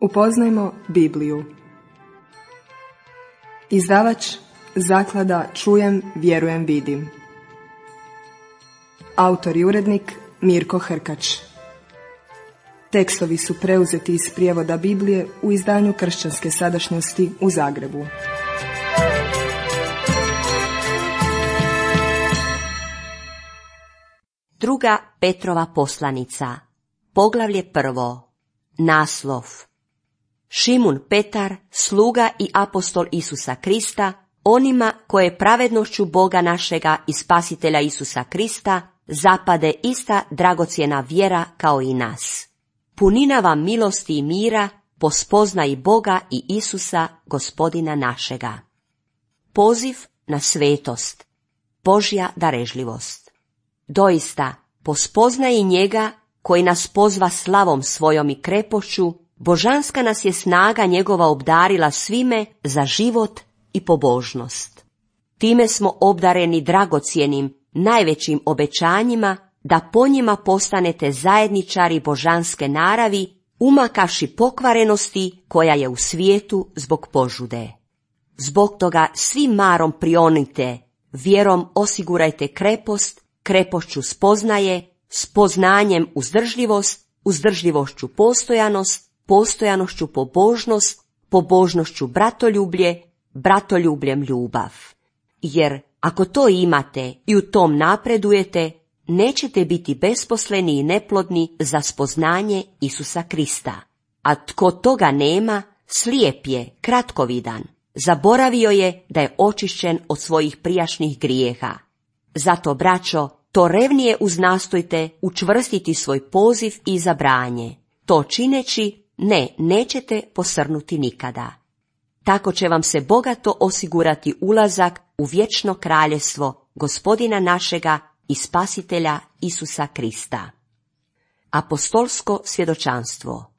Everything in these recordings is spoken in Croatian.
Upoznajmo Bibliju. Izdavač Zaklada Čujem, vjerujem, vidim. Autor i urednik Mirko Hrkač. Tekstovi su preuzeti iz prijevoda Biblije u izdanju Kršćanske sadašnjosti u Zagrebu. Druga Petrova poslanica, poglavlje 1. Naslov: Šimun Petar, sluga i apostol Isusa Krista, onima koje pravednošću Boga našega i Spasitelja Isusa Krista zapade ista dragocjena vjera kao i nas. Punina vam milosti i mira po spoznaji Boga i Isusa, Gospodina našega. Poziv na svetost, Božja darežljivost. Doista, po spoznaji njega koji nas pozva slavom svojom i krepošću, božanska nas je snaga njegova obdarila svime za život i pobožnost. Time smo obdareni dragocjenim, najvećim obećanjima, da po njima postanete zajedničari božanske naravi, umakavši pokvarenosti koja je u svijetu zbog požude. Zbog toga svi marom prionite, vjerom osigurajte krepost, krepošću spoznaje, spoznanjem uzdržljivost, uzdržljivošću postojanost, postojanošću pobožnost, pobožnošću bratoljublje, bratoljubljem ljubav. Jer ako to imate i u tom napredujete, nećete biti besposleni i neplodni za spoznanje Isusa Krista. A tko toga nema, slijep je, kratkovidan, zaboravio je da je očišćen od svojih prijašnjih grijeha. Zato, braćo, to revnije uznastojte učvrstiti svoj poziv i izabranje. To čineći, nećete posrnuti nikada. Tako će vam se bogato osigurati ulazak u vječno kraljevstvo Gospodina našega i Spasitelja Isusa Krista. Apostolsko svjedočanstvo.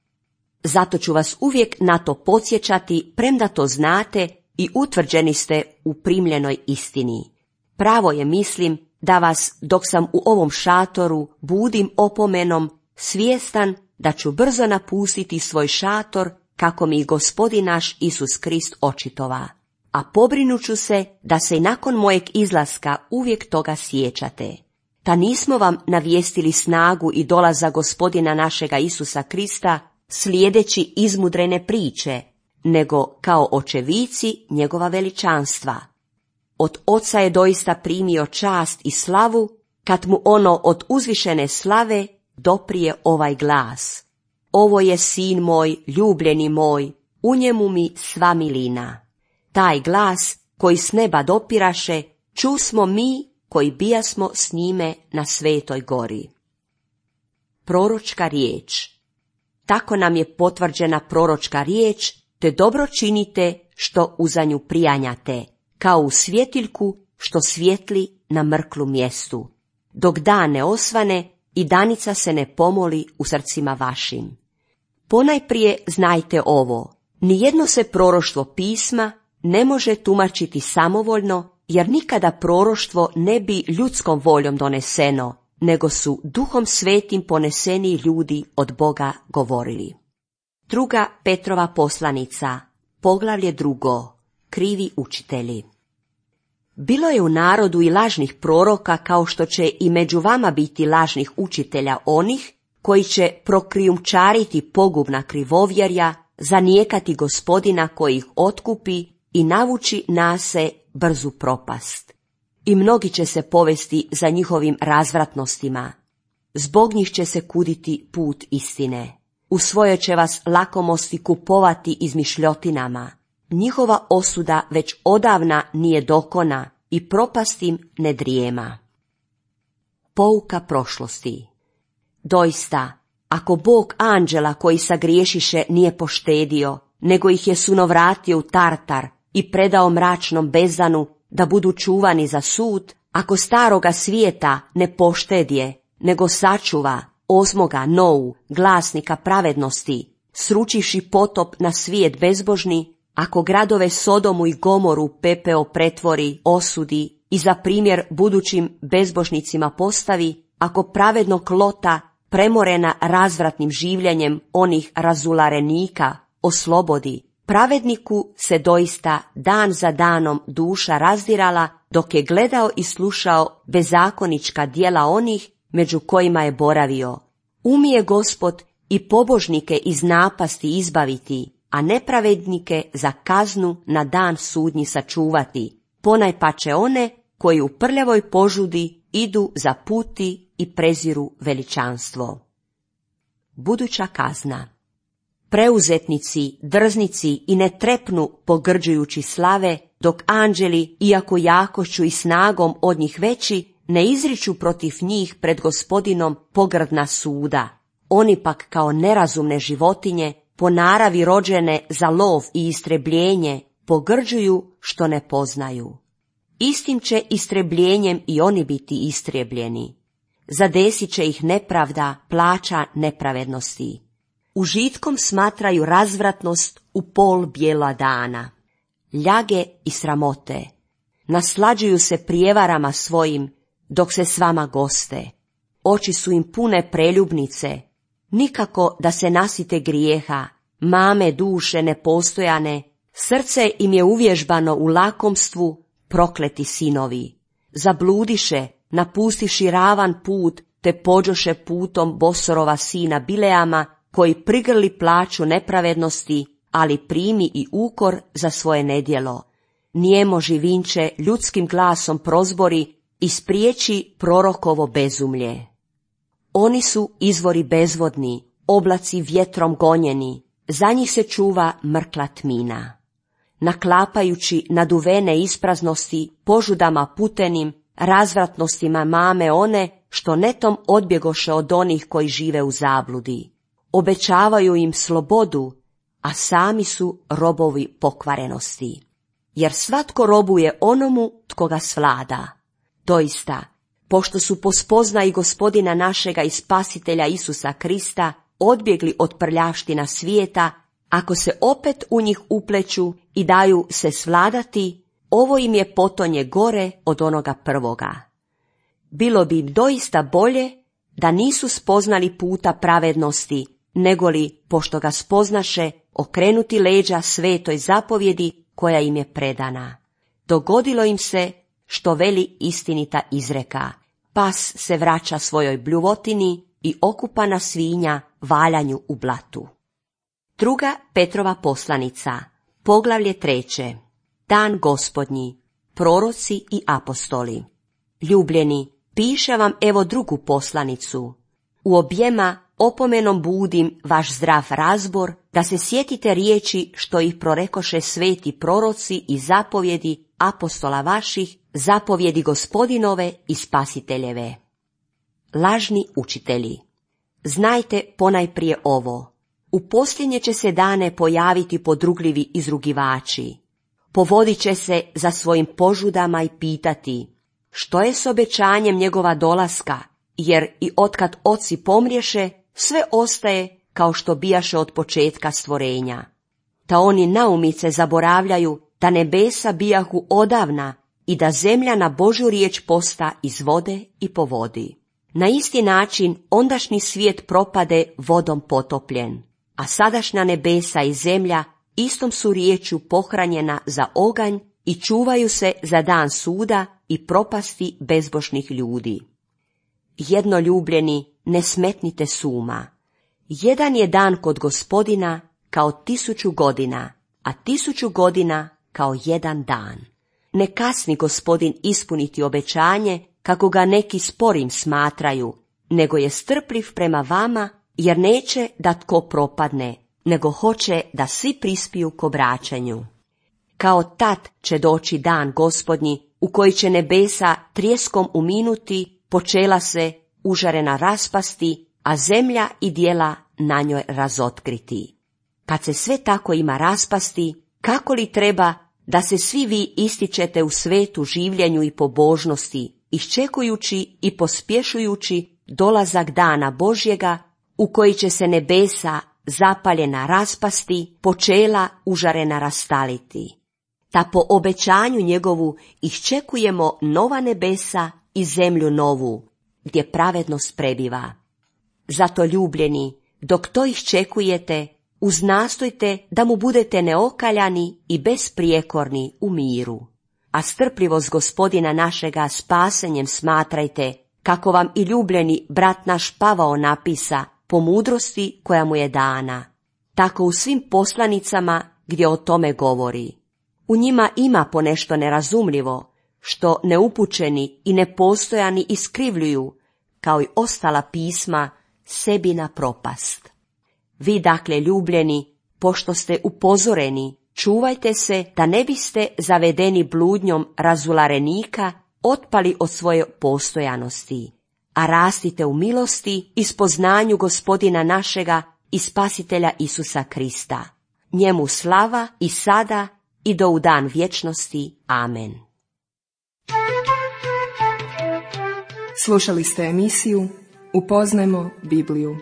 Zato ću vas uvijek na to podsjećati, premda to znate i utvrđeni ste u primljenoj istini. Pravo je, mislim, da vas, dok sam u ovom šatoru, budim opomenom, svjestan da ću brzo napustiti svoj šator, kako mi Gospodin naš Isus Krist očitova. A pobrinuću se da se i nakon mojeg izlaska uvijek toga sjećate. Ta nismo vam navijestili snagu i dolaza Gospodina našega Isusa Krista slijedeći izmudrene priče, nego kao očevici njegova veličanstva. Od Oca je doista primio čast i slavu, kad mu ono od uzvišene slave doprije ovaj glas: Ovo je sin moj, ljubljeni moj, u njemu mi sva milina. Taj glas koji s neba dopiraše, čusmo mi koji bijasmo s njime na Svetoj gori. Proročka riječ. Tako nam je potvrđena proročka riječ, te dobro činite što uza nju prijanjate, kao u svjetiljku što svijetli na mrklu mjestu, dok dan ne osvane i danica se ne pomoli u srcima vašim. Ponajprije znajte ovo: nijedno se proroštvo pisma ne može tumačiti samovoljno, jer nikada proroštvo ne bi ljudskom voljom doneseno, nego su Duhom Svetim poneseni ljudi od Boga govorili. Druga Petrova poslanica, poglavlje 2. Krivi učitelji. Bilo je u narodu i lažnih proroka, kao što će i među vama biti lažnih učitelja, onih koji će prokrijumčariti pogubna krivovjerja, zanijekati Gospodina koji ih otkupi i navući na se brzu propast. I mnogi će se povesti za njihovim razvratnostima. Zbog njih će se kuditi put istine. U svojoj će vas lakomosti kupovati izmišljotinama. Njihova osuda već odavna nije dokona i propast im ne drijema. Pouka prošlosti. Doista, ako Bog anđela koji sagriješiše nije poštedio, nego ih je sunovratio u Tartar i predao mračnom bezdanu da budu čuvani za sud, ako staroga svijeta ne poštedje, nego sačuva osmoga Nou, glasnika pravednosti, sručivši potop na svijet bezbožni, ako gradove Sodomu i Gomoru pepeo pretvori, osudi i za primjer budućim bezbožnicima postavi, ako pravednog Lota, premorena razvratnim življenjem onih razularenika, oslobodi. Pravedniku se doista dan za danom duša razdirala dok je gledao i slušao bezakonička djela onih među kojima je boravio. Umije Gospod i pobožnike iz napasti izbaviti, a nepravednike za kaznu na dan sudnji sačuvati, ponajpače one koji u prljavoj požudi idu za puti i preziru veličanstvo. Buduća kazna. Preuzetnici, drznici i ne trepnu pogrđujući slave, dok anđeli, iako jakošću i snagom od njih veći, ne izriču protiv njih pred Gospodinom pogrdna suda. Oni pak kao nerazumne životinje, po naravi rođene za lov i istrebljenje, pogrđuju što ne poznaju. Istim će istrebljenjem i oni biti istrebljeni. Zadesit će ih nepravda, plaća nepravednosti. Užitkom smatraju razvratnost u pol bijela dana. Ljage i sramote. Naslađuju se prijevarama svojim, dok se s vama goste. Oči su im pune preljubnice, nikako da se nasite grijeha, mame duše nepostojane, srce im je uvježbano u lakomstvu, prokleti sinovi. Zabludiše, napustiši ravan put, te pođoše putom Bosorova sina Bileama, koji prigrli plaću nepravednosti, ali primi i ukor za svoje nedjelo. Nijemo živinče ljudskim glasom prozbori i spriječi prorokovo bezumlje. Oni su izvori bezvodni, oblaci vjetrom gonjeni, za njih se čuva mrkla tmina. Naklapajući naduvene ispraznosti, požudama putenim, razvratnostima mame one, što netom odbjegoše od onih koji žive u zabludi. Obećavaju im slobodu, a sami su robovi pokvarenosti. Jer svatko robuje onomu tko ga svlada. Doista, pošto su po spoznaji Gospodina našega i Spasitelja Isusa Krista odbjegli od prljavština svijeta, ako se opet u njih upleću i daju se svladati, ovo im je potonje gore od onoga prvoga. Bilo bi im doista bolje da nisu spoznali puta pravednosti, negoli, pošto ga spoznaše, okrenuti leđa svetoj zapovjedi koja im je predana. Dogodilo im se što veli istinita izreka: pas se vraća svojoj bljuvotini i okupana svinja valjanju u blatu. Druga Petrova poslanica, poglavlje 3. Dan Gospodnji, proroci i apostoli. Ljubljeni, piše vam evo drugu poslanicu. U objema opomenom budim vaš zdrav razbor, da se sjetite riječi što ih prorekoše sveti proroci i zapovjedi apostola vaših, zapovjedi Gospodinove i Spasiteljeve. Lažni učitelji. Znajte ponajprije ovo: u posljednje će se dane pojaviti podrugljivi izrugivači. Povodit će se za svojim požudama i pitati: što je s obećanjem njegova dolaska, jer i otkad oci pomriješe, sve ostaje kao što bijaše od početka stvorenja. Ta oni naumice zaboravljaju da nebesa bijahu odavna i da zemlja na Božju riječ posta iz vode i po vodi. Na isti način ondašnji svijet propade vodom potopljen, a sadašnja nebesa i zemlja istom su riječju pohranjena za oganj i čuvaju se za dan suda i propasti bezbožnih ljudi. Jednoljubljeni, ne smetnite suma. Jedan je dan kod Gospodina kao 1000 godina, a 1000 godina kao jedan dan. Ne kasni Gospodin ispuniti obećanje, kako ga neki sporim smatraju, nego je strpljiv prema vama, jer neće da tko propadne, nego hoće da svi prispiju k obraćanju. Kao tad će doći dan Gospodnji, u koji će nebesa trjeskom uminuti, počela se užarena raspasti, a zemlja i djela na njoj razotkriti. Kad se sve tako ima raspasti, kako li treba da se svi vi ističete u svetu življenju i pobožnosti, iščekujući i pospješujući dolazak dana Božjega, u koji će se nebesa zapaljena raspasti, počela užarena rastaliti. Ta po obećanju njegovu iščekujemo nova nebesa i zemlju novu, gdje pravednost prebiva. Zato ljubljeni, dok to iščekujete, uznastojte da mu budete neokaljani i besprijekorni u miru. A strpljivost Gospodina našega spasenjem smatrajte, kako vam i ljubljeni brat naš Pavao napisa, po mudrosti koja mu je dana. Tako u svim poslanicama gdje o tome govori. U njima ima ponešto nerazumljivo, što neupućeni i nepostojani iskrivljuju, kao i ostala pisma, sebi na propast. Vi dakle, ljubljeni, pošto ste upozoreni, čuvajte se da ne biste zavedeni bludnjom razularenika otpali od svoje postojanosti, a rastite u milosti i spoznanju Gospodina našega i Spasitelja Isusa Krista. Njemu slava i sada i do u dan vječnosti. Amen. Slušali ste emisiju Upoznajmo Bibliju.